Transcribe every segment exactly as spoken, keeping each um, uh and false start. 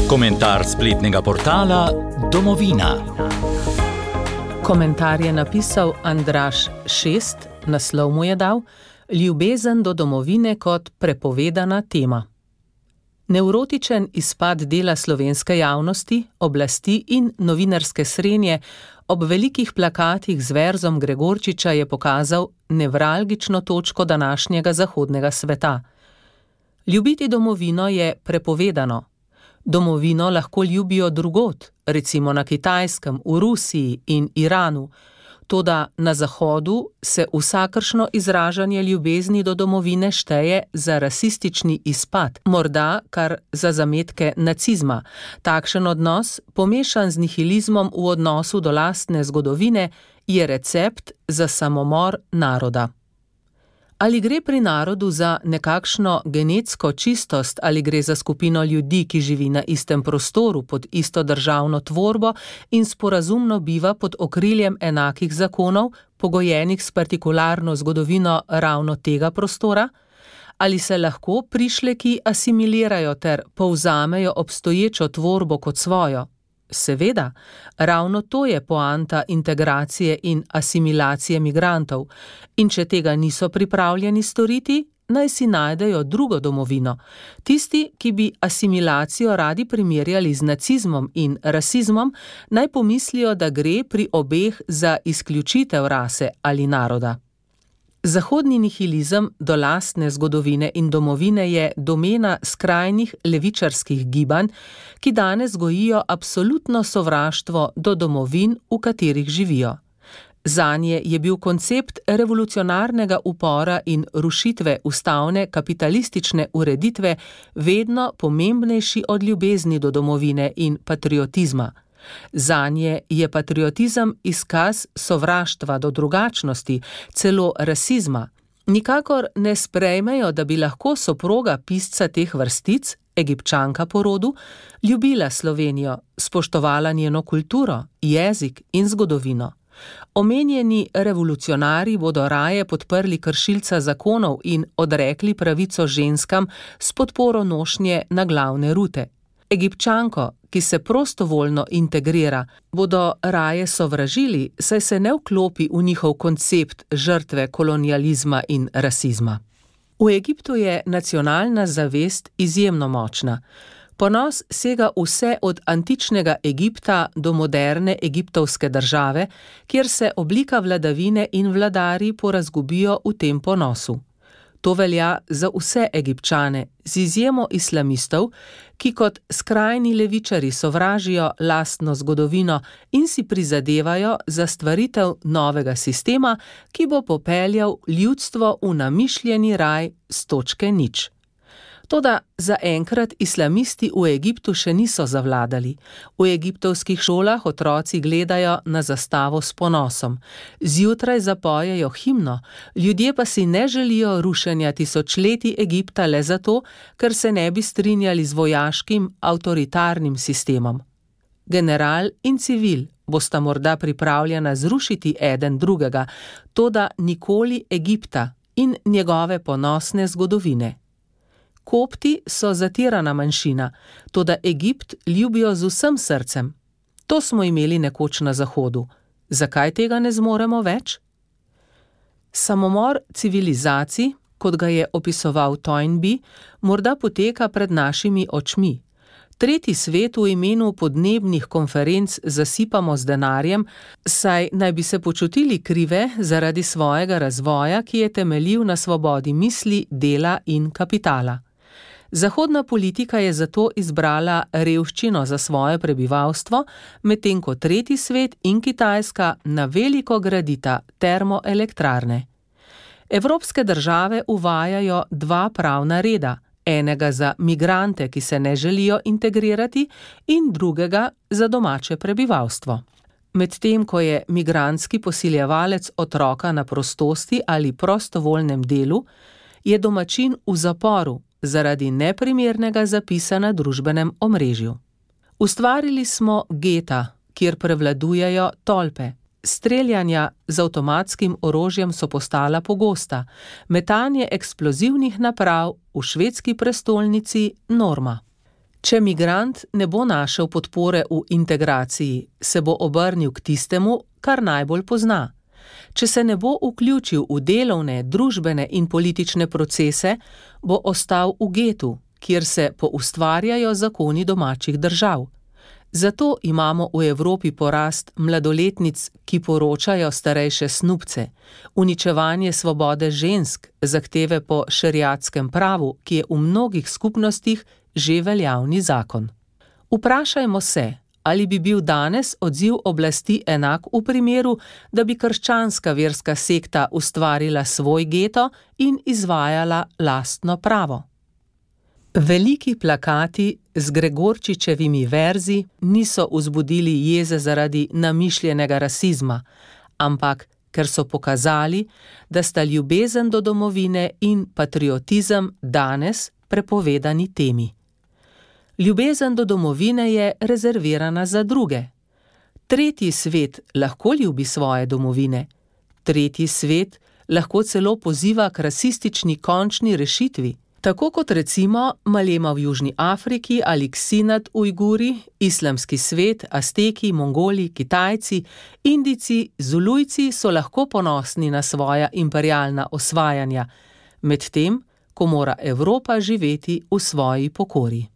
Komentar spletnega portala Domovina. Komentar je napisal Andraž šest, naslov mu je dal Ljubezen do domovine kot prepovedana tema. Nevrotičen izpad dela slovenske javnosti, oblasti in novinarske srenje ob velikih plakatih z verzom Gregorčiča je pokazal nevralgično točko današnjega zahodnega sveta. Ljubiti domovino je prepovedano. Domovino lahko ljubijo drugod, recimo na Kitajskem, v Rusiji in Iranu, toda na Zahodu se vsakršno izražanje ljubezni do domovine šteje za rasistični izpad, morda kar za zametke nacizma. Takšen odnos, pomešan z nihilizmom v odnosu do lastne zgodovine, je recept za samomor naroda. Ali gre pri narodu za nekakšno genetsko čistost ali gre za skupino ljudi, ki živi na istem prostoru pod isto državno tvorbo in sporazumno biva pod okriljem enakih zakonov, pogojenih s partikularno zgodovino ravno tega prostora? Ali se lahko prišleki asimilirajo ter povzamejo obstoječo tvorbo kot svojo? Seveda, ravno to je poanta integracije in asimilacije migrantov, in če tega niso pripravljeni storiti, naj si najdejo drugo domovino. Tisti, ki bi asimilacijo radi primerjali z nacizmom in rasizmom, naj pomislijo, da gre pri obeh za izključitev rase ali naroda. Zahodni nihilizem do lastne zgodovine in domovine je domena skrajnih levičarskih gibanj, ki danes gojijo absolutno sovraštvo do domovin, v katerih živijo. Zanje je bil koncept revolucionarnega upora in rušitve ustavne kapitalistične ureditve vedno pomembnejši od ljubezni do domovine in patriotizma. Zanje je patriotizem izkaz sovraštva do drugačnosti, celo rasizma. Nikakor ne sprejmejo, da bi lahko soproga pisca teh vrstic, Egipčanka po rodu, ljubila Slovenijo, spoštovala njeno kulturo, jezik in zgodovino. Omenjeni revolucionarji bodo raje podprli kršilca zakonov in odrekli pravico ženskam s podporo nošnje na glavne rute. Egipčanko, ki se prostovoljno integrira, bodo raje sovražili, saj se ne vklopi v njihov koncept žrtve kolonializma in rasizma. V Egiptu je nacionalna zavest izjemno močna. Ponos sega vse od antičnega Egipta do moderne egiptovske države, kjer se oblika vladavine in vladarji porazgubijo v tem ponosu. To velja za vse Egipčane, z izjemo islamistov, ki kot skrajni levičari sovražijo lastno zgodovino in si prizadevajo za stvaritev novega sistema, ki bo popeljal ljudstvo v namišljeni raj s točke nič. Toda zaenkrat islamisti v Egiptu še niso zavladali. V egiptovskih šolah otroci gledajo na zastavo s ponosom. Zjutraj zapojejo himno, ljudje pa si ne želijo rušenja tisočletij Egipta le zato, ker se ne bi strinjali z vojaškim, avtoritarnim sistemom. General in civil bosta morda pripravljena zrušiti eden drugega, toda nikoli Egipta in njegove ponosne zgodovine. Kopti so zatirana manjšina, toda Egipt ljubijo z vsem srcem. To smo imeli nekoč na Zahodu. Zakaj tega ne zmoremo več? Samomor civilizacij, kot ga je opisoval Toynbee, morda poteka pred našimi očmi. Tretji svet v imenu podnebnih konferenc zasipamo z denarjem, saj naj bi se počutili krive zaradi svojega razvoja, ki je temeljil na svobodi misli, dela in kapitala. Zahodna politika je zato izbrala revščino za svoje prebivalstvo, medtem ko tretji svet in Kitajska na veliko gradita termoelektrarne. Evropske države uvajajo dva pravna reda, enega za migrante, ki se ne želijo integrirati, in drugega za domače prebivalstvo. Medtem ko je migrantski posiljevalec otroka na prostosti ali prostovoljnem delu, je domačin v zaporu zaradi neprimernega zapisa na družbenem omrežju. Ustvarili smo geta, kjer prevladujejo tolpe. Streljanja z avtomatskim orožjem so postala pogosta, metanje eksplozivnih naprav v švedski prestolnici norma. Če migrant ne bo našel podpore v integraciji, se bo obrnil k tistemu, kar najbolj pozna. Če se ne bo vključil v delovne, družbene in politične procese, bo ostal v getu, kjer se poustvarjajo zakoni domačih držav. Zato imamo v Evropi porast mladoletnic, ki poročajo starejše snubce, uničevanje svobode žensk, zahteve po šeriatskem pravu, ki je v mnogih skupnostih že veljavni zakon. Vprašajmo se, ali bi bil danes odziv oblasti enak v primeru, da bi krščanska verska sekta ustvarila svoj geto in izvajala lastno pravo. Veliki plakati z Gregorčičevimi verzi niso vzbudili jeze zaradi namišljenega rasizma, ampak ker so pokazali, da sta ljubezen do domovine in patriotizem danes prepovedani temi. Ljubezen do domovine je rezervirana za druge. Tretji svet lahko ljubi svoje domovine. Tretji svet lahko celo poziva k rasistični končni rešitvi. Tako kot recimo Malema v Južni Afriki ali Ksinat Ujguri, islamski svet, Azteki, Mongoli, Kitajci, Indijci, Zulujci so lahko ponosni na svoja imperialna osvajanja, medtem ko mora Evropa živeti v svoji pokori.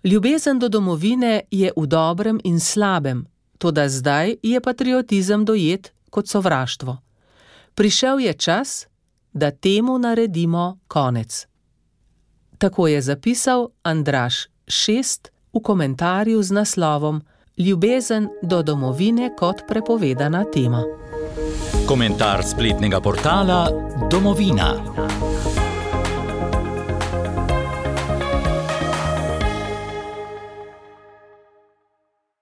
Ljubezen do domovine je v dobrem in slabem, toda zdaj je patriotizem dojet kot sovraštvo. Prišel je čas, da temu naredimo konec. Tako je zapisal Andraž Šest v komentarju z naslovom Ljubezen do domovine kot prepovedana tema. Komentar spletnega portala Domovina.